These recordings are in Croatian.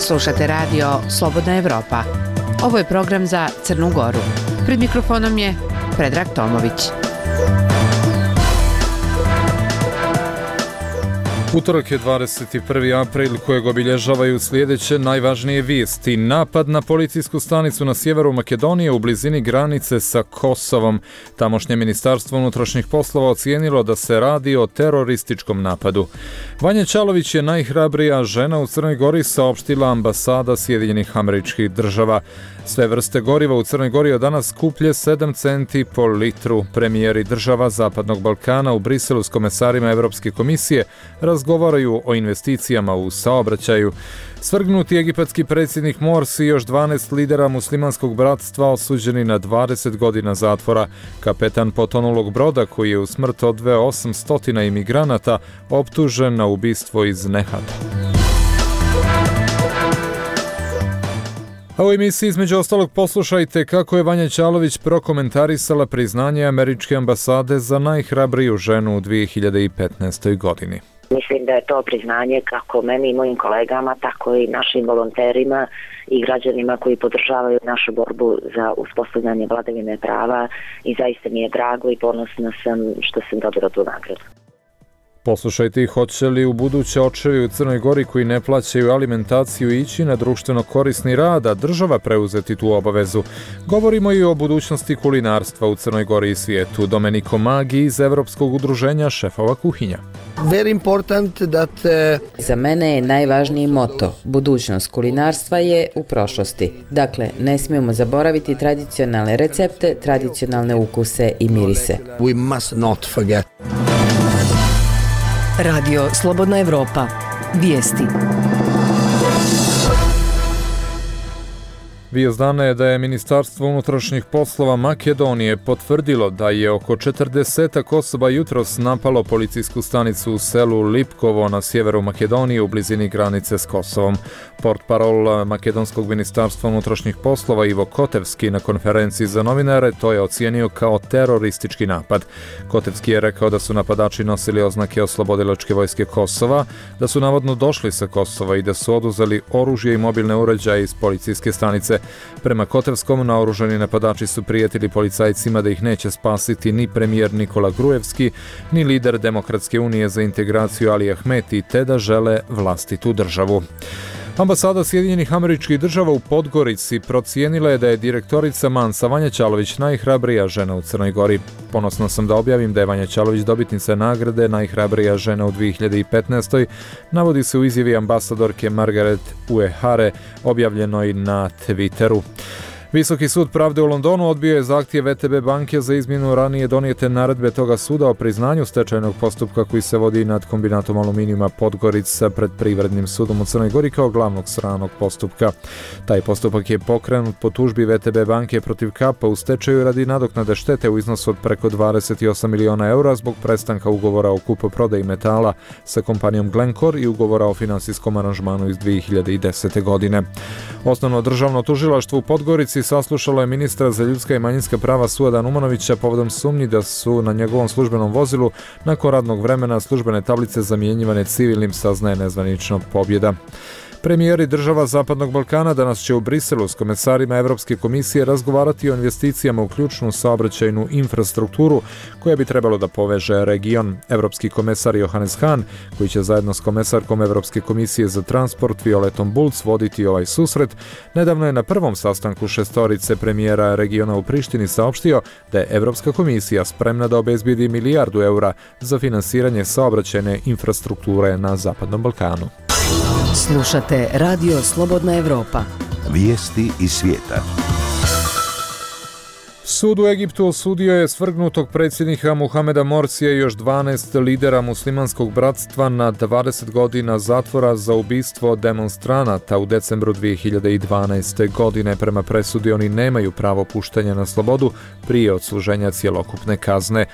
Slušate radio Slobodna Evropa. Ovo je program za Crnu Goru. Pred mikrofonom je Predrag Tomović. Utorak je 21. april kojeg obilježavaju sljedeće najvažnije vijesti. Napad na policijsku stanicu na sjeveru Makedonije u blizini granice sa Kosovom. Tamošnje ministarstvo unutrašnjih poslova ocijenilo da se radi o terorističkom napadu. Vanja Čalović je najhrabrija žena u Crnoj Gori, saopštila ambasada Sjedinjenih Američkih Država. Sve vrste goriva u Crnoj Gori od danas skuplje 7 centi po litru. Premijeri država Zapadnog Balkana u Briselu s komesarima Evropske komisije razgovaraju o investicijama u saobraćaju. Svrgnuti egipatski predsjednik Morsi i još 12 lidera muslimanskog bratstva osuđeni na 20 godina zatvora. Kapetan potonulog broda koji je u smrt odveo 800 imigranata optužen na ubistvo iz nehata. A u emisiji između ostalog poslušajte kako je Vanja Čalović prokomentarisala priznanje američke ambasade za najhrabriju ženu u 2015. godini. Mislim da je to priznanje kako meni i mojim kolegama, tako i našim volonterima i građanima koji podržavaju našu borbu za uspostavljanje vladavine prava i zaista mi je drago i ponosna sam što sam dobila tu nagradu. Poslušajte, hoće li u buduće očevi u Crnoj Gori koji ne plaćaju alimentaciju ići na društveno korisni rad, a država preuzeti tu obavezu. Govorimo i o budućnosti kulinarstva u Crnoj Gori i svijetu. Domenico Magi iz Evropskog udruženja šefova kuhinja. Za mene je najvažniji moto. Budućnost kulinarstva je u prošlosti. Dakle, ne smijemo zaboraviti tradicionalne recepte, tradicionalne ukuse i mirise. Radio Slobodna Evropa. Vijesti. Vijest dana je da je Ministarstvo unutrašnjih poslova Makedonije potvrdilo da je oko 40 osoba jutros napalo policijsku stanicu u selu Lipkovo na sjeveru Makedonije u blizini granice s Kosovom. Portparol Makedonskog ministarstva unutrašnjih poslova Ivo Kotevski na konferenciji za novinare to je ocijenio kao teroristički napad. Kotevski je rekao da su napadači nosili oznake Oslobodilačke vojske Kosova, da su navodno došli sa Kosova i da su oduzeli oružje i mobilne uređaje iz policijske stanice. Prema Kotevskom, naoružani napadači su prijetili policajcima da ih neće spasiti ni premijer Nikola Grujevski, ni lider Demokratske unije za integraciju Ali Ahmeti, te da žele vlastitu državu. Ambasada Sjedinjenih Američkih Država u Podgorici procijenila je da je direktorica Mansa Vanja Čalović najhrabrija žena u Crnoj Gori. Ponosno sam da objavim da je Vanja Čalović dobitnica nagrade najhrabrija žena u 2015. Navodi se u izjavi ambasadorke Margaret Uehare objavljenoj na Twitteru. Visoki sud pravde u Londonu odbio je zahtjev VTB banke za izmjenu ranije donijete naredbe toga suda o priznanju stečajnog postupka koji se vodi nad kombinatom aluminijuma Podgorica pred Privrednim sudom u Crnoj Gori kao glavnog stranog postupka. Taj postupak je pokrenut po tužbi VTB banke protiv Kapa u stečaju radi nadoknade štete u iznosu od preko 28 miliona eura zbog prestanka ugovora o kupoprodaji metala sa kompanijom Glencore i ugovora o finansijskom aranžmanu iz 2010. godine. Osnovno državno tužilaštvo u Podgorici saslušalo je ministra za ljudska i manjinska prava Suada Umanovića povodom sumnji da su na njegovom službenom vozilu nakon radnog vremena službene tablice zamjenjivane civilnim, saznaje nezvanično Pobjeda. Premijeri država Zapadnog Balkana danas će u Briselu s komesarima Evropske komisije razgovarati o investicijama u ključnu saobraćajnu infrastrukturu koja bi trebalo da poveže region. Evropski komesar Johannes Hahn, koji će zajedno s komesarkom Evropske komisije za transport Violetom Bulc voditi ovaj susret, nedavno je na prvom sastanku šestorice premijera regiona u Prištini saopštio da je Evropska komisija spremna da obezbijedi milijardu eura za finansiranje saobraćajne infrastrukture na Zapadnom Balkanu. Slušate Radio Slobodna Evropa. Vijesti iz svijeta. Sud u Egiptu osudio je svrgnutog predsjednika Muhameda Morsija i još 12 lidera muslimanskog bratstva na 20 godina zatvora za ubistvo demonstranata u decembru 2012. godine. Prema presudi oni nemaju pravo puštanja na slobodu prije odsluženja cjelokupne kazne.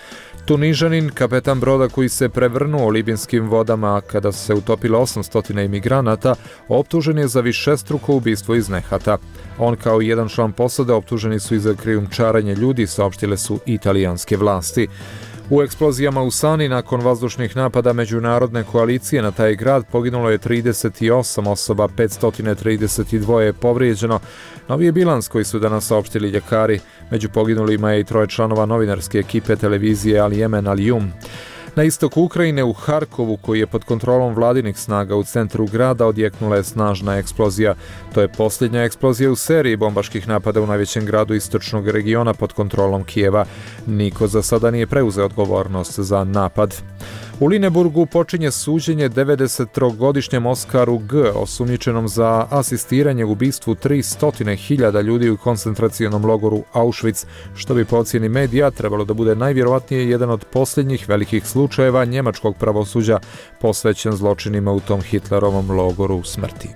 Tunižanin, kapetan broda koji se prevrnuo u libijskim vodama kada se utopilo 800 imigranata, optužen je za višestruko ubistvo iz nehata. On kao i jedan član posade optuženi su i za krijumčarenje ljudi, saopštile su italijanske vlasti. U eksplozijama u Sani nakon vazdušnih napada međunarodne koalicije na taj grad poginulo je 38 osoba, 532 je povrijeđeno. Novi je bilans koji su danas saopštili ljekari. Među poginulima je i 3 članova novinarske ekipe televizije Al Jemen Al Jum. Na istoku Ukrajine u Harkovu, koji je pod kontrolom vladinih snaga u centru grada, odjeknula je snažna eksplozija. To je posljednja eksplozija u seriji bombaških napada u najvećem gradu istočnog regiona pod kontrolom Kijeva. Niko za sada nije preuzeo odgovornost za napad. U Lineburgu počinje suđenje 93-godišnjem Oskaru G, osumnjičenom za asistiranje u ubistvu 300.000 ljudi u koncentracionom logoru Auschwitz, što bi po ocjeni medija trebalo da bude najvjerovatnije jedan od posljednjih velikih slučajeva njemačkog pravosuđa posvećen zločinima u tom Hitlerovom logoru smrti.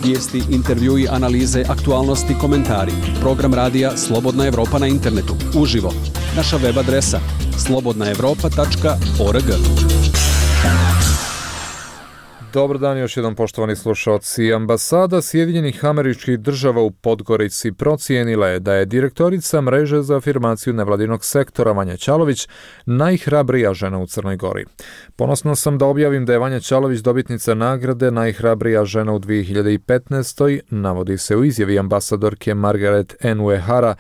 Vijesti, intervjui, analize, aktualnosti, komentari. Program radija Slobodna Evropa na internetu. Uživo. Naša web adresa slobodnaevropa.org. Dobar dan još jedan, poštovani slušalci. Ambasada Sjedinjenih Američkih Država u Podgorici procijenila je da je direktorica mreže za afirmaciju nevladinog sektora Vanja Ćalović najhrabrija žena u Crnoj Gori. Ponosno sam da objavim da je Vanja Ćalović dobitnica nagrade najhrabrija žena u 2015. navodi se u izjavi ambasadorke Margaret N. Uehara,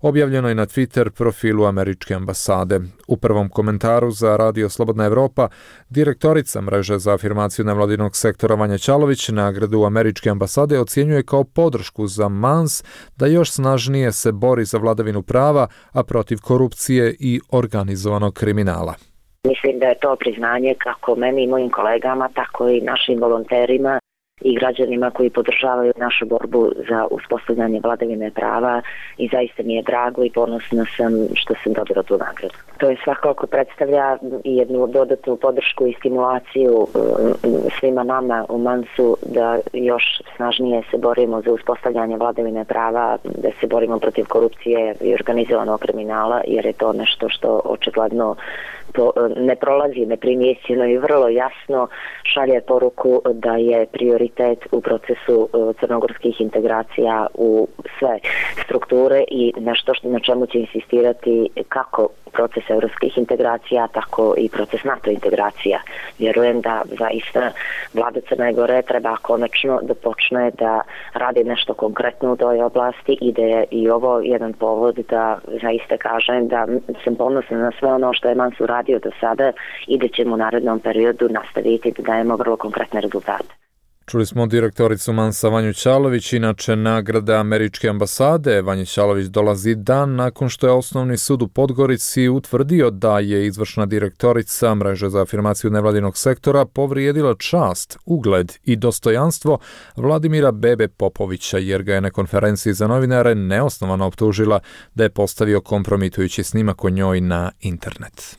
objavljeno je na Twitter profilu američke ambasade. U prvom komentaru za Radio Slobodna Evropa, direktorica mreže za afirmaciju nevladinog sektora Vanja Ćalović nagradu američke ambasade ocjenjuje kao podršku za MANS da još snažnije se bori za vladavinu prava, a protiv korupcije i organizovanog kriminala. Mislim da je to priznanje kako meni i mojim kolegama, tako i našim volonterima i građanima koji podržavaju našu borbu za uspostavljanje vladavine prava i zaista mi je drago i ponosna sam što sam dobila tu nagradu. To je svakako predstavlja i jednu dodatnu podršku i stimulaciju svima nama u MANS-u da još snažnije se borimo za uspostavljanje vladavine prava, da se borimo protiv korupcije i organizovanog kriminala, jer je to nešto što očigledno ne prolazi neprimjećeno i vrlo jasno šalje poruku da je prioritet u procesu crnogorskih integracija u sve strukture i nešto na čemu će insistirati kako proces evropskih integracija, tako i proces NATO integracija. Vjerujem da zaista vlada Crne Gore treba konačno da počne da radi nešto konkretno u toj oblasti i da je i ovo jedan povod da zaista kažem da sam ponosna na sve ono što je MANS uradio do sada i da ćemo u narednom periodu nastaviti da dajemo vrlo konkretne rezultate. Čuli smo direktoricu MANS-a Vanju Ćalović. Inače, nagrada američke ambasade Vanje Ćalović dolazi dan nakon što je Osnovni sud u Podgorici utvrdio da je izvršna direktorica mreže za afirmaciju nevladinog sektora povrijedila čast, ugled i dostojanstvo Vladimira Bebe Popovića, jer ga je na konferenciji za novinare neosnovano optužila da je postavio kompromitujući snimak o njoj na internet.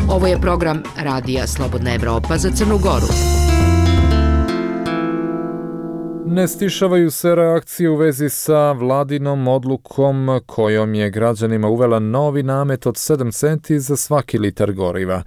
Ovo je program Radija Slobodna Evropa za Crnu Goru. Ne stišavaju se reakcije u vezi sa vladinom odlukom kojom je građanima uvela novi namet od 7 centi za svaki litar goriva.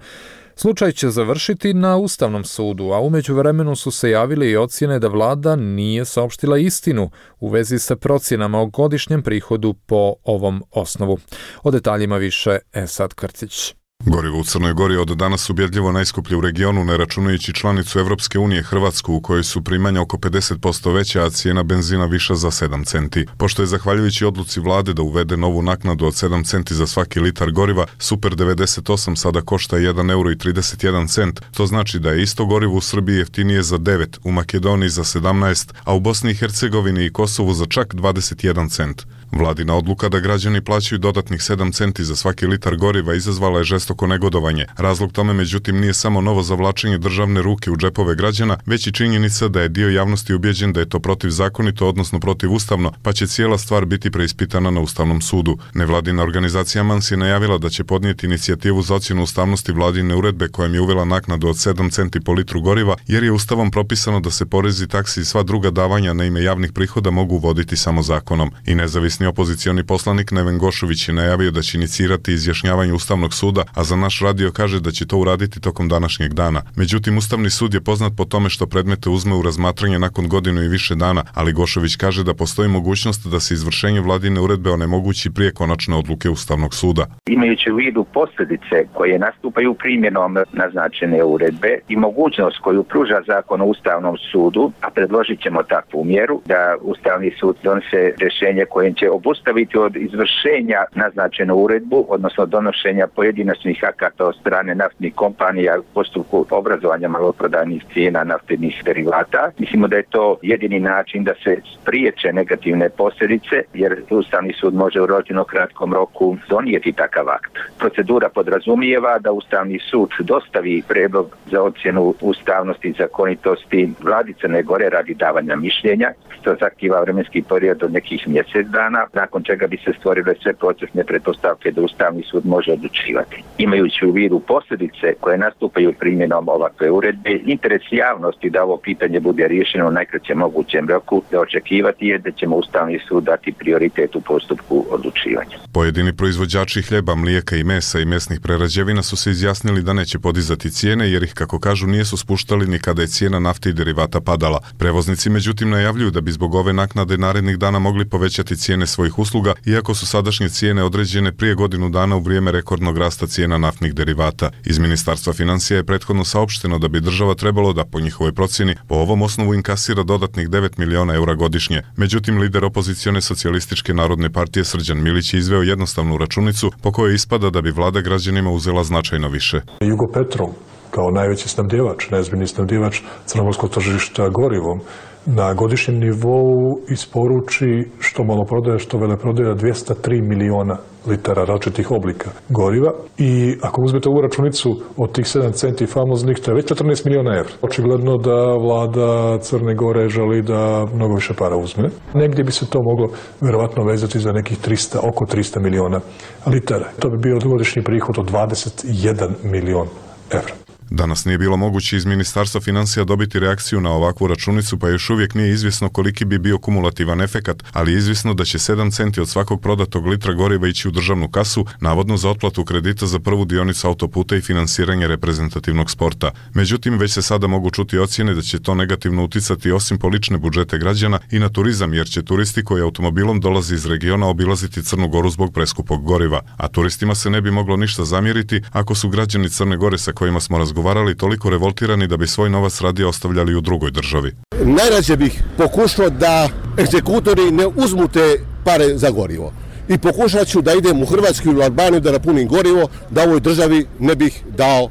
Slučaj će završiti na Ustavnom sudu, a u međuvremenu su se javile i ocjene da vlada nije saopštila istinu u vezi sa procjenama o godišnjem prihodu po ovom osnovu. O detaljima više Esad Krcić. Gorivo u Crnoj Gori od danas ubjedljivo najskuplje u regionu, ne računajući članicu Evropske unije Hrvatsku, u kojoj su primanja oko 50% veća, a cijena benzina viša za 7 centi. Pošto je zahvaljujući odluci vlade da uvede novu naknadu od 7 centi za svaki litar goriva, Super 98 sada košta 1,31 €, to znači da je isto gorivo u Srbiji jeftinije za 9, u Makedoniji za 17, a u Bosni i Hercegovini i Kosovu za čak 21 cent. Vladina odluka da građani plaćaju dodatnih 7 centi za svaki litar goriva izazvala je žestoko negodovanje. Razlog tome, međutim, nije samo novo zavlačenje državne ruke u džepove građana, već i činjenica da je dio javnosti ubjeđen da je to protivzakonito, odnosno protivustavno, pa će cijela stvar biti preispitana na Ustavnom sudu. Nevladina organizacija MANS je najavila da će podnijeti inicijativu za ocjenu ustavnosti vladine uredbe kojom je uvela naknadu od 7 centi po litru goriva, jer je Ustavom propisano da se porezi, taksi i sva druga davanja na ime javnih prihoda mogu uvoditi samo zakonom. I nezavisni nezavisni opozicioni poslanik Neven Gošović je najavio da će inicirati izjašnjavanje Ustavnog suda, a za naš radio kaže da će to uraditi tokom današnjeg dana. Međutim, Ustavni sud je poznat po tome što predmete uzme u razmatranje nakon godinu i više dana, ali Gošović kaže da postoji mogućnost da se izvršenje vladine uredbe onemogući prije konačne odluke Ustavnog suda. Imajući u vidu posljedice koje nastupaju primjenom naznačene uredbe i mogućnost koju pruža zakon o Ustavnom sudu, a predložit ćemo takvu mjeru da Ustavni sud donese rješenje kojim će obustaviti od izvršenja naznačenu uredbu, odnosno donošenja pojedinačnih akata od strane naftnih kompanija u postupku obrazovanja maloprodajnih cijena naftnih derivata. Mislimo da je to jedini način da se spriječe negativne posljedice, jer Ustavni sud može u relativno kratkom roku donijeti takav akt. Procedura podrazumijeva da Ustavni sud dostavi prijedlog za ocjenu ustavnosti i zakonitosti Vladi Crne Gore radi davanja mišljenja, što zahtijeva vremenski period od nekih mjesec dana, nakon čega bi se stvorile sve procesne pretpostavke da Ustavni sud može odlučivati. Imajući u vidu posljedice koje nastupaju primjenom ovakve uredbe, interes javnosti da ovo pitanje bude riješeno u najkraćem mogućem roku, da očekivati je da ćemo Ustavni sud dati prioritet u postupku odlučivanja. Pojedini proizvođači hljeba, mlijeka i mesa i mesnih prerađevina su se izjasnili da neće podizati cijene jer ih, kako kažu, nisu spuštali ni kada je cijena nafte i derivata padala. Prevoznici međutim najavljuju da bi zbog ove naknade narednih dana mogli povećati cijene svojih usluga, iako su sadašnje cijene određene prije godinu dana u vrijeme rekordnog rasta cijena naftnih derivata. Iz Ministarstva financija je prethodno saopšteno da bi država trebalo da, po njihovoj procjeni, po ovom osnovu inkasira dodatnih 9 miliona eura godišnje. Međutim, lider opozicione Socijalističke narodne partije Srđan Milić je izveo jednostavnu računicu po kojoj ispada da bi vlada građanima uzela značajno više. Jugopetrol, kao najveći snabdjevač, najozbiljniji snabdjevač crnogorskog tržišta gorivom, na godišnjem nivou isporuči što maloprodaja, što veleprodaja 203 miliona litara različitih oblika goriva. I ako uzmete ovu računicu od tih 7 centi famoznih, to je već 14 miliona evra. Očigledno da vlada Crne Gore želi da mnogo više para uzme. Negdje bi se to moglo verovatno vezati za nekih oko 300 miliona litara. To bi bio godišnji prihod od 21 milion evra. Danas nije bilo moguće iz Ministarstva financija dobiti reakciju na ovakvu računicu, pa još uvijek nije izvjesno koliki bi bio kumulativan efekat, ali je izvjesno da će 7 centi od svakog prodatog litra goriva ići u državnu kasu, navodno za otplatu kredita za prvu dionicu autoputa i finansiranje reprezentativnog sporta. Međutim, već se sada mogu čuti ocjene da će to negativno uticati osim po lične budžete građana i na turizam, jer će turisti koji automobilom dolazi iz regiona obilaziti Crnu Goru zbog preskupog goriva, a turistima se ne bi moglo ništa zamjeriti ako su građani Crne Gore sa kojima smo razgovarali toliko revoltirani da bi svoj novac radije ostavljali u drugoj državi. Najrađe bih pokušao da egzekutori ne uzmu te pare za gorivo. I pokušat ću da idem u Hrvatsku ili u Albaniju da napunim gorivo, da ovoj državi ne bih dao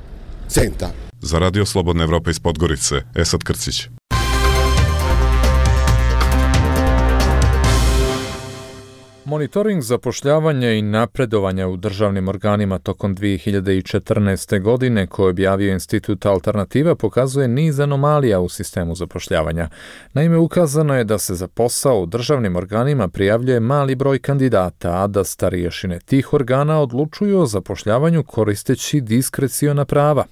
centa. Za Radio Slobodna Evropa iz Podgorice, Esad Krcić. Monitoring zapošljavanja i napredovanja u državnim organima tokom 2014. godine koje je objavio Institut Alternativa pokazuje niz anomalija u sistemu zapošljavanja. Naime, ukazano je da se za posao u državnim organima prijavljuje mali broj kandidata, a da starješine tih organa odlučuju o zapošljavanju koristeći diskreciona prava.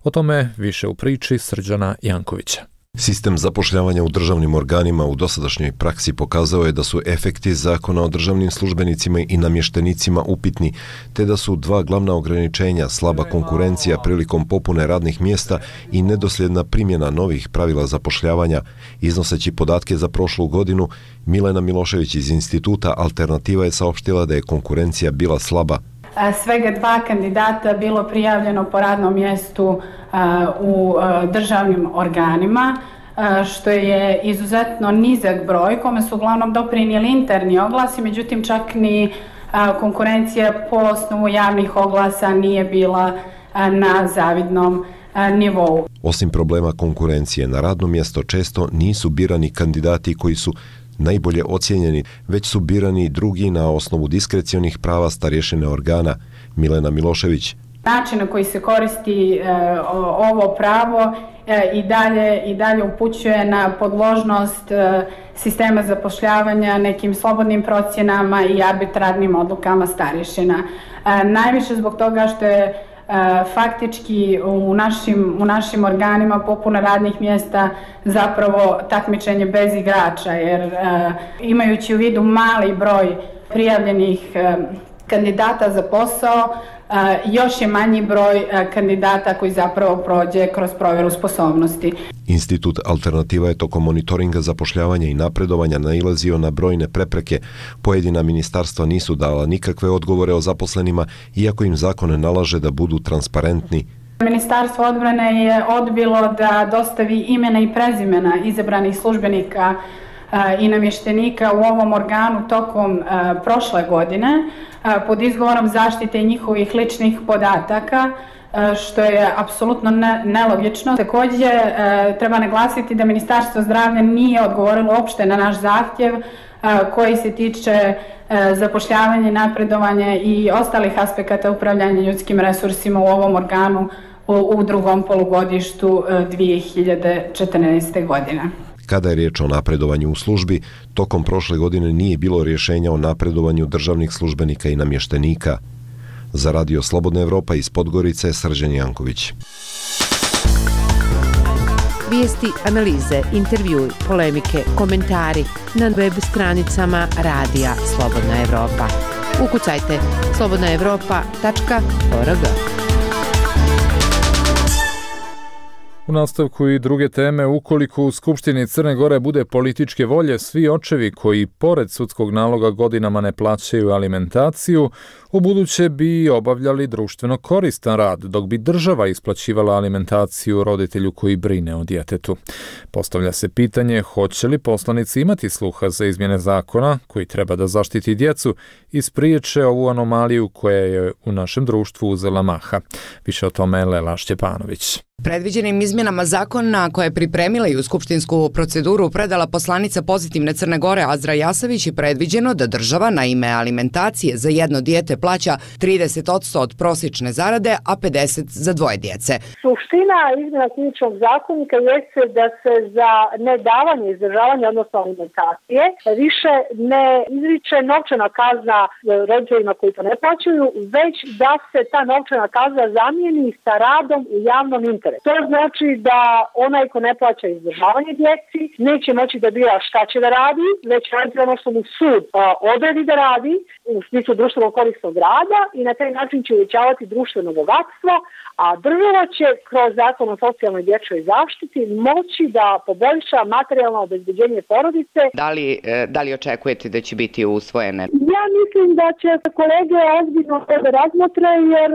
O tome više u priči Srđana Jankovića. Sistem zapošljavanja u državnim organima u dosadašnjoj praksi pokazao je da su efekti zakona o državnim službenicima i namještenicima upitni, te da su dva glavna ograničenja slaba konkurencija prilikom popune radnih mjesta i nedosljedna primjena novih pravila zapošljavanja. Iznoseći podatke za prošlu godinu, Milena Milošević iz Instituta Alternativa je saopštila da je konkurencija bila slaba. Svega 2 kandidata bilo prijavljeno po radnom mjestu u državnim organima, što je izuzetno nizak broj, kome su uglavnom doprinijeli interni oglasi, međutim čak ni konkurencija po osnovu javnih oglasa nije bila na zavidnom nivou. Osim problema konkurencije, na radno mjesto često nisu birani kandidati koji su najbolje ocijenjeni, već su birani drugi na osnovu diskrecionih prava starješine organa. Milena Milošević. Način na koji se koristi ovo pravo i dalje upućuje na podložnost sistema zapošljavanja nekim slobodnim procjenama i arbitrarnim odlukama starješina. Najviše zbog toga što je faktički u našim organima popuna radnih mjesta zapravo takmičenje bez igrača, jer imajući u vidu mali broj prijavljenih kandidata za posao, još je manji broj kandidata koji zapravo prođe kroz provjeru sposobnosti. Institut Alternativa je tokom monitoringa zapošljavanja i napredovanja nailazio na brojne prepreke. Pojedina ministarstva nisu dala nikakve odgovore o zaposlenima, iako im zakon nalaže da budu transparentni. Ministarstvo odbrane je odbilo da dostavi imena i prezimena izabranih službenika i namještenika u ovom organu tokom prošle godine pod izgovorom zaštite njihovih ličnih podataka, što je apsolutno nelogično. Također treba naglasiti da Ministarstvo zdravlja nije odgovorilo uopšte na naš zahtjev koji se tiče zapošljavanja, napredovanja i ostalih aspekata upravljanja ljudskim resursima u ovom organu u drugom polugodištu 2014. godine. Kada je riječ o napredovanju u službi, tokom prošle godine nije bilo rješenja o napredovanju državnih službenika i namještenika. Za Radio Slobodna Evropa iz Podgorice, Srđan Janković. Vijesti, analize, intervjui, polemike, komentari na web stranicama Radija Slobodna Evropa. Ukucajte slobodnaevropa.org. U nastavku i druge teme, ukoliko u Skupštini Crne Gore bude političke volje, svi očevi koji pored sudskog naloga godinama ne plaćaju alimentaciju, ubuduće bi obavljali društveno koristan rad, dok bi država isplaćivala alimentaciju roditelju koji brine o djetetu. Postavlja se pitanje hoće li poslanici imati sluha za izmjene zakona koji treba da zaštiti djecu i spriječe ovu anomaliju koja je u našem društvu uzela maha. Više o tome Lela Šćepanović. Predviđenim izmjenama zakona koje je pripremila i u skupštinsku proceduru predala poslanica Pozitivne Crne Gore Azra Jasavić je predviđeno da država na ime alimentacije za jedno dijete plaća 30% od prosječne zarade, a 50% za dvoje djece. Suština izmjena krivičnog zakonika jeste da se za nedavanje izdržavanja, odnosno alimentacije, više ne izriče novčana kazna roditeljima koji to ne plaćaju, već da se ta novčana kazna zamijeni sa radom u javnom interesu. To znači da onaj ko ne plaća izdržavanje djeci neće moći da bira šta će da radi, već radi ono što mu sud odredi da radi u smislu društvenog korisnog rada i na taj način će uvećavati društveno bogatstvo, a država će kroz zakon o socijalnoj dječjoj zaštiti moći da poboljša materijalno obezbeđenje porodice. Da li očekujete da će biti usvojene? Ja mislim da će kolege ozbiljno da razmotre, jer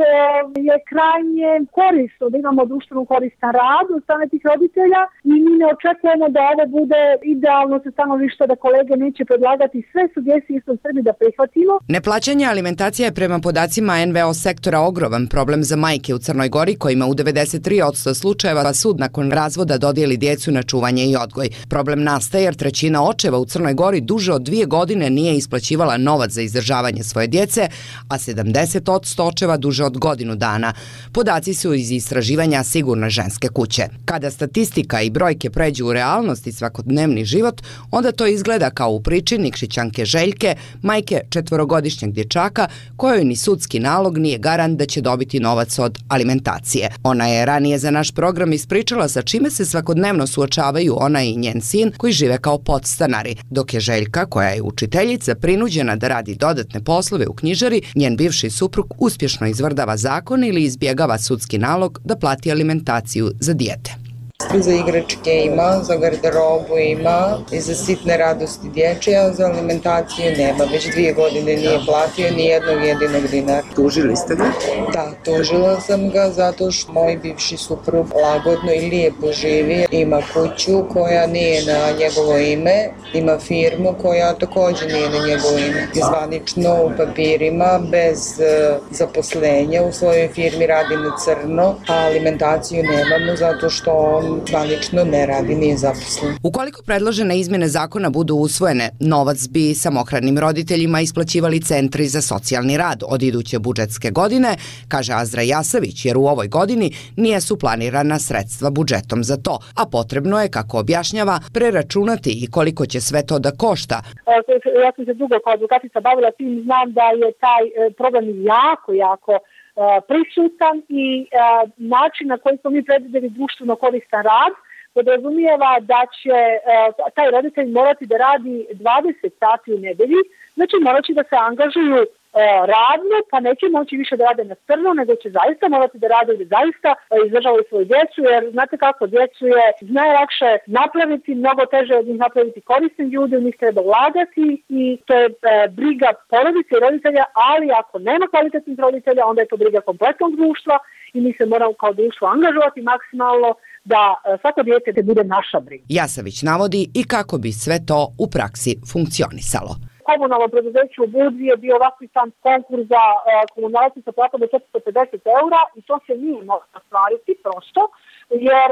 je krajnje korisno da imamo društveno koristan rad od strane tih roditelja i mi ne očekujemo da ovo bude idealno sa stanovišta da kolege neće predlagati sve sugestije što Srbi da prihvatimo. Neplaćanje alimentacije je prema podacima NVO sektora ogroman problem za majke u Crnoj Gori, kojima u 93% slučajeva sud nakon razvoda dodijeli djecu na čuvanje i odgoj. Problem nastaje jer trećina očeva u Crnoj Gori duže od 2 godine nije isplaćivala novac za izdržavanje svoje djece, a 70% očeva duže od godinu dana. Podaci su iz istraživanja Sigurne ženske kuće. Kada statistika i brojke pređu u realnost i svakodnevni život, onda to izgleda kao u priči Nikšićanke Željke, majke 4-godišnjeg dječaka, kojoj ni sudski nalog nije garant da će dobiti novac od alimentacije. Ona je ranije za naš program ispričala sa čime se svakodnevno suočavaju ona i njen sin koji žive kao podstanari, dok je Željka, koja je učiteljica, prinuđena da radi dodatne poslove u knjižari, njen bivši suprug uspješno izvrdava zakon ili izbjegava sudski nalog da plati alimentaciju za dijete. Za igračke ima, za garderobu ima i za sitne radosti dječje, a za alimentaciju nema. Već 2 godine nije platio ni jednog jedinog dinara. Tužili ste ga? Da, tužila sam ga zato što moj bivši suprug lagodno i lijepo živi. Ima kuću koja nije na njegovo ime, ima firmu koja također nije na njegovo ime. Zvanično u papirima, bez zaposlenja, u svojoj firmi radi na crno, a alimentaciju nemamo zato što on zvanično ne radi, nije zaposlen. Ukoliko predložene izmjene zakona budu usvojene, novac bi samohranim roditeljima isplaćivali centri za socijalni rad od iduće budžetske godine, kaže Azra Jasavić, jer u ovoj godini nisu planirana sredstva budžetom za to, a potrebno je, kako objašnjava, preračunati i koliko će sve to da košta. Ja sam se dugo kao advokatica bavila tim, znam da je taj problem jako prisutan i način na koji smo mi predvidjeli društveno koristan rad podrazumijeva da će taj roditelj morati da radi 20 sati u nedelji, znači morat će da se angažuju radno, pa neće moći više da rade na crno, nego će zaista morati da rade da zaista izdržavaju svoju djecu, jer znate kako, djecu je najlakše napraviti, mnogo teže od njih napraviti korisni ljudi, u njih treba ulagati i to je briga porodice i roditelja, ali ako nema kvalitetnih roditelja, onda je to briga kompletnog društva i mi se moramo kao društvo angažovati maksimalno da svako dijete bude naša briga. Jasavić navodi i kako bi sve to u praksi funkcionisalo. Komunalno preduzeće u Budvi je bio raspisan konkurs za komunalci sa platom od 450 eura i to se nije moglo ostvariti prosto, jer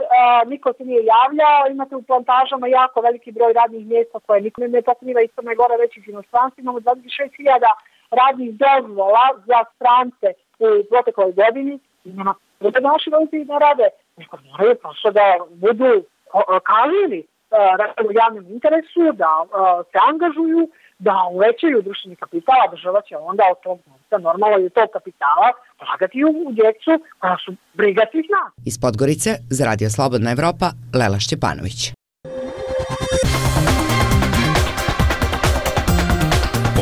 niko se nije javljao. Imate u plantažama jako veliki broj radnih mjesta koje niko ne pokriva iz Crne Gore, već iz inostranstva. Imamo 26.000 radnih dozvola za strance u protekloj godini. Nema da naši roditelji ne rade. Neko moraju prosto da budu kažnjeni u javnom interesu, da se angažuju, da uvećaju društveni kapital, a država će onda od tog novca, normalno i od tog kapitala, ulagati u djecu koja su briga svih nas. Iz Podgorice za Radio Slobodna Evropa, Lela Šćepanović.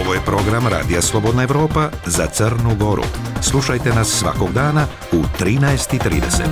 Ovo je program Radija Slobodna Evropa za Crnu Goru. Slušajte nas svakog dana u 13:30.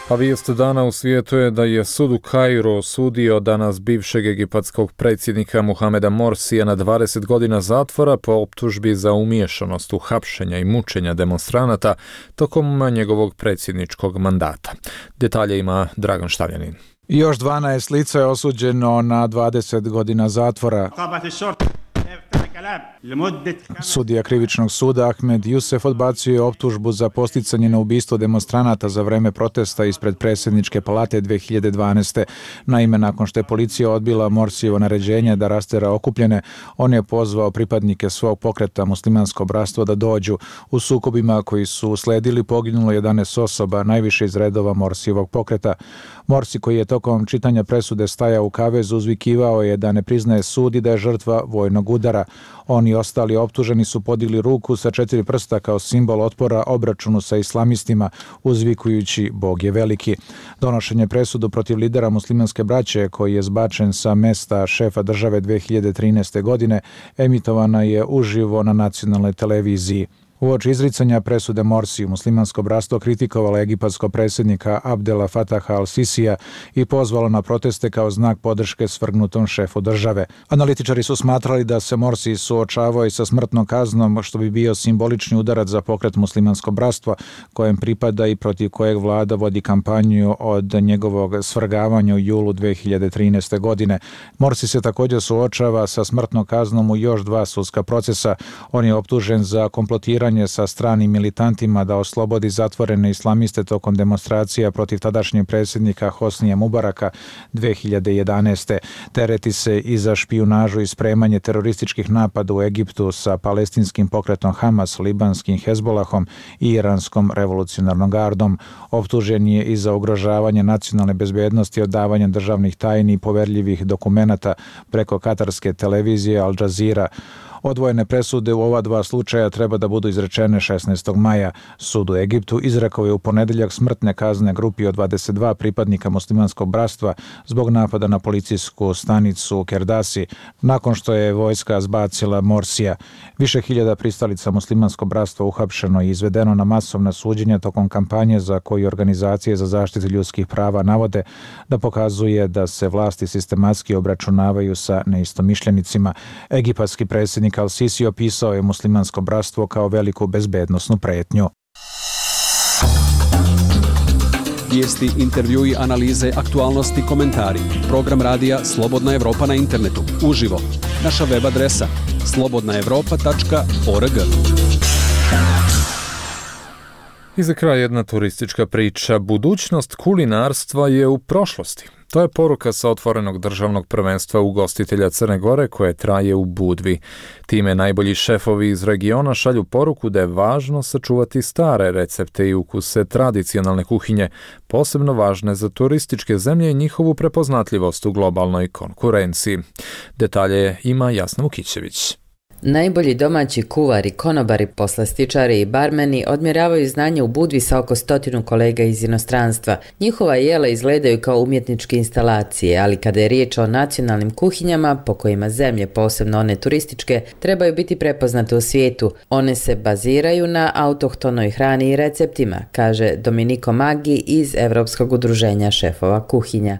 A vijest dana u svijetu je da je sud u Kairu osudio danas bivšeg egipatskog predsjednika Muhameda Morsija na 20 godina zatvora po optužbi za umiješanost u hapšenja i mučenja demonstranata tokom njegovog predsjedničkog mandata. Detalje ima Dragan Štavljanin. Još 12 lica je osuđeno na 20 godina zatvora. Sudija krivičnog suda Ahmed Youssef odbacio je optužbu za posticanje na ubistvo demonstranata za vreme protesta ispred predsjedničke palate 2012. Naime, nakon što je policija odbila Morsijevo naređenje da rastera okupljene, on je pozvao pripadnike svog pokreta Muslimansko bratstvo da dođu. U sukobima koji su usledili poginulo 11 osoba, najviše iz redova Morsijevog pokreta. Morsi, koji je tokom čitanja presude stajao u kavezu, uzvikivao je da ne priznaje sud i da je žrtva vojnog udara. Oni i ostali optuženi su podigli ruku sa 4 prsta kao simbol otpora obračunu sa islamistima, uzvikujući Bog je veliki. Donošenje presudu protiv lidera muslimanske braće, koji je zbačen sa mesta šefa države 2013. godine, emitovana je uživo na nacionalnoj televiziji. Uoči izricanja presude Morsiju, muslimansko bratstvo kritikovalo egipatskog predsjednika Abdela Fataha al-Sisija i pozvalo na proteste kao znak podrške svrgnutom šefu države. Analitičari su smatrali da se Morsi suočavao i sa smrtnom kaznom, što bi bio simbolični udarac za pokret muslimansko bratstvo, kojem pripada i protiv kojeg vlada vodi kampanju od njegovog svrgavanja u julu 2013. godine. Morsi se također suočava sa smrtnom kaznom u još 2 sudska procesa. On je optužen za komplotiranje sa stranim militantima da oslobodi zatvorene islamiste tokom demonstracija protiv tadašnjeg predsjednika Hosnija Mubaraka 2011. Tereti se i za špijunažu i spremanje terorističkih napada u Egiptu sa palestinskim pokretom Hamas, libanskim Hezbolahom i iranskom revolucionarnom gardom. Optužen je i za ugrožavanje nacionalne bezbednosti, odavanje državnih tajni i poverljivih dokumenata preko katarske televizije Al Jazeera. Odvojene presude u ova 2 slučaja treba da budu izrečene 16. maja. Sud u Egiptu izrekao je u ponedjeljak smrtne kazne grupi od 22 pripadnika muslimanskog bratstva zbog napada na policijsku stanicu u Kerdasi, nakon što je vojska zbacila Morsija. Više hiljada pristalica muslimanskog bratstva uhapšeno i izvedeno na masovna suđenja tokom kampanje za koju organizacije za zaštitu ljudskih prava navode da pokazuje da se vlasti sistematski obračunavaju sa neistomišljenicima. Egipatski predsjednik Al-Sisi opisao je muslimansko bratstvo kao veliku bezbednosnu pretnju. Vijesti, intervjui, analize, aktualnosti, komentari. Program radija Slobodna Evropa na internetu. Uživo. Naša web adresa slobodnaevropa.org. I za kraj jedna turistička priča. Budućnost kulinarstva je u prošlosti. To je poruka sa otvorenog državnog prvenstva ugostitelja Crne Gore koje traje u Budvi. Time najbolji šefovi iz regiona šalju poruku da je važno sačuvati stare recepte i ukuse tradicionalne kuhinje, posebno važne za turističke zemlje i njihovu prepoznatljivost u globalnoj konkurenciji. Detalje ima Jasna Vukićević. Najbolji domaći kuvari, konobari, poslastičari i barmeni odmjeravaju znanje u Budvi sa oko 100 kolega iz inostranstva. Njihova jela izgledaju kao umjetničke instalacije, ali kada je riječ o nacionalnim kuhinjama, po kojima zemlje, posebno one turističke, trebaju biti prepoznate u svijetu. One se baziraju na autohtonoj hrani i receptima, kaže Domenico Maggi iz Europskog udruženja šefova kuhinja.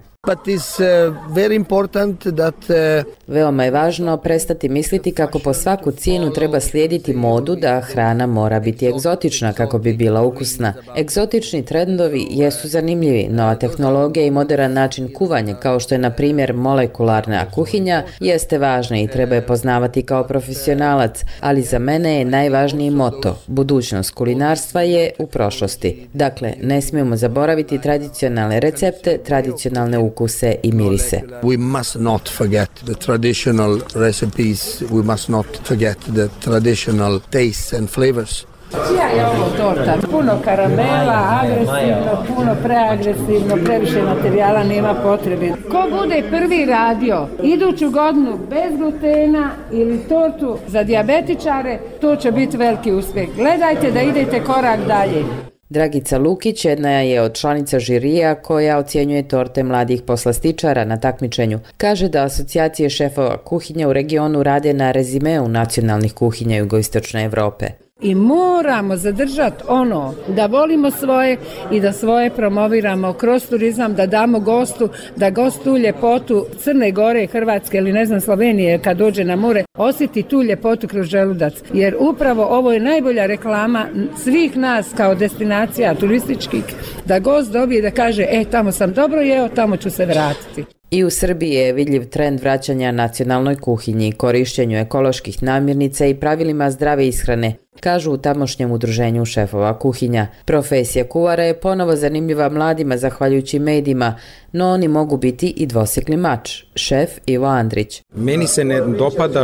Veoma je važno prestati misliti kako po svaku cijenu treba slijediti modu da hrana mora biti egzotična kako bi bila ukusna. Egzotični trendovi jesu zanimljivi, nova tehnologija i modern način kuvanja, kao što je na primjer molekularna kuhinja, jeste važna i treba je poznavati kao profesionalac, ali za mene je najvažniji moto: budućnost kulinarstva je u prošlosti. Dakle, ne smijemo zaboraviti tradicionalne recepte, tradicionalne ukuse i mirise. We must not forget the traditional recipes, we must not forget the traditional tastes and flavors. Čija je ovo torta? Puno karamela, agresivno, puno preagresivno, previše materijala, nema potrebe. Ko bude prvi radio iduću godinu bez glutena ili tortu za dijabetičare, to će biti veliki uspjeh. Gledajte da idete korak dalje. Dragica Lukić jedna je od članica žirija koja ocjenjuje torte mladih poslastičara na takmičenju. Kaže da asocijacije šefova kuhinja u regionu rade na rezimeu nacionalnih kuhinja jugoistočne Europe. I moramo zadržati ono da volimo svoje i da svoje promoviramo kroz turizam, da damo gostu, da gost tu ljepotu Crne Gore, Hrvatske ili ne znam Slovenije kad dođe na more, osjeti tu ljepotu kroz želudac. Jer upravo ovo je najbolja reklama svih nas kao destinacija turističkih, da gost dobije da kaže tamo sam dobro jeo, tamo ću se vratiti. I u Srbiji je vidljiv trend vraćanja nacionalnoj kuhinji, korištenju ekoloških namirnica i pravilima zdrave ishrane, kažu u tamošnjem udruženju šefova kuhinja. Profesija kuvara je ponovo zanimljiva mladima zahvaljujući medijima, no oni mogu biti i dvosjekli mač. Šef Ivo Andrić. Meni se ne dopada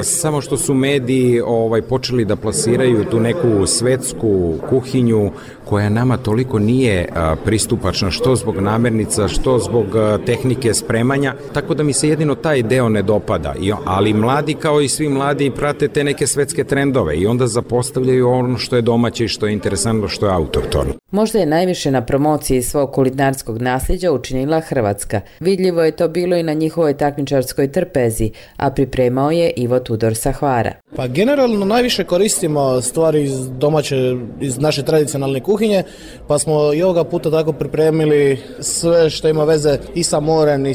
samo što su mediji počeli da plasiraju tu neku svetsku kuhinju koja nama toliko nije pristupačna, što zbog namirnica, što zbog tehnike spremanja, tako da mi se jedino taj deo ne dopada. Ali mladi, kao i svi mladi, prate te neke svetske trendove i onda zapostavljaju ono što je domaće i što je interesantno, što je autohtono. Možda je najviše na promociji svog kulinarskog nasljeđa učinila Hrvatska. Vidljivo je to bilo i na njihovoj takmičarskoj trpezi, a pripremao je Ivo Tudor sa Hvara. Pa generalno najviše koristimo stvari iz domaće, iz naše tradicionalne kuhinje, pa smo i ovoga puta tako pripremili sve što ima veze i sa morem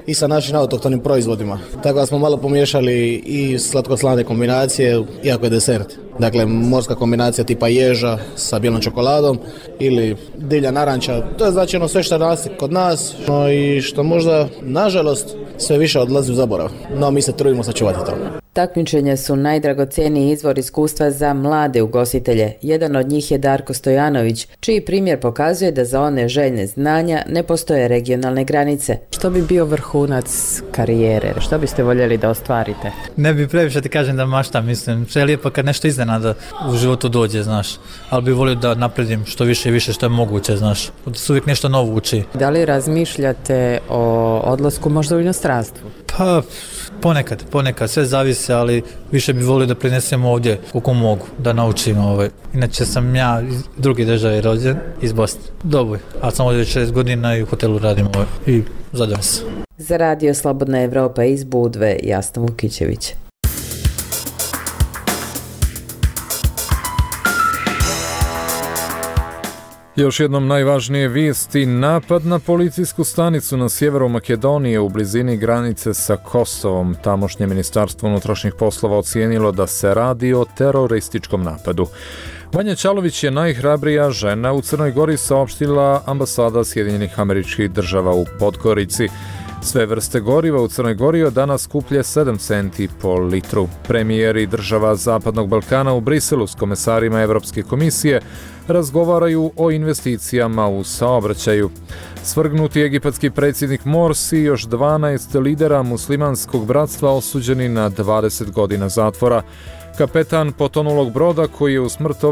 i sa našim autohtonim proizvodima. Tako da smo malo pomiješali i slatko-slane kombinacije, iako je desert. Dakle, morska kombinacija tipa ježa sa bijelom čokoladom ili divlja naranča. To je znači sve što raste kod nas i što možda, nažalost, sve više odlazi u zaborav. No, mi se trudimo sačuvati to. Takmičenja su najdragocjeniji izvor iskustva za mlade ugostitelje. Jedan od njih je Darko Stojanović, čiji primjer pokazuje da za one željne znanja ne postoje regionalne granice. Što bi bio vrhunac karijere? Što biste voljeli da ostvarite? Ne bi previše ti kažem da maštam, mislim. Sve je lijepo kad nešto iznenada u životu dođe, znaš. Ali bi volio da napredim što više i više što je moguće, znaš. Da se uvijek nešto novo uči. Da li razmišljate o odlasku možda u inostranstvu? Pa, ponekad, sve zavisi, ali više bi volio da prinesem ovdje koliko mogu, da naučim. Inače sam ja iz druge države rođen, iz Bosne. Dobro, ali sam ovdje 6 godina i u hotelu radim i zadovoljan sam. Za Radio Slobodna Evropa iz Budve, Jasna Vukićević. Još jednom najvažnije vijesti: napad na policijsku stanicu na sjeveru Makedonije u blizini granice sa Kosovom. Tamošnje ministarstvo unutrašnjih poslova ocijenilo da se radi o terorističkom napadu. Vanja Čalović je najhrabrija žena u Crnoj Gori, saopštila ambasada Sjedinjenih Američkih Država u Podgorici. Sve vrste goriva u Crnoj Gori od danas skuplje 7 centi po litru. Premijeri država Zapadnog Balkana u Briselu s komesarima Evropske komisije razgovaraju o investicijama u saobraćaju. Svrgnuti egipatski predsjednik Morsi i još 12 lidera muslimanskog bratstva osuđeni na 20 godina zatvora. Kapetan potonulog broda koji je u smrt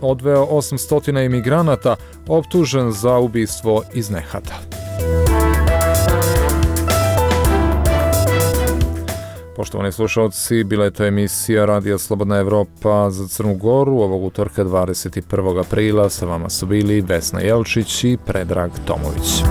odveo 800 imigranata optužen za ubistvo iz nehata. Poštovani slušalci, bila je to emisija Radija Slobodna Evropa za Crnu Goru ovog utorka 21. aprila. Sa vama su bili Vesna Jelčić i Predrag Tomović.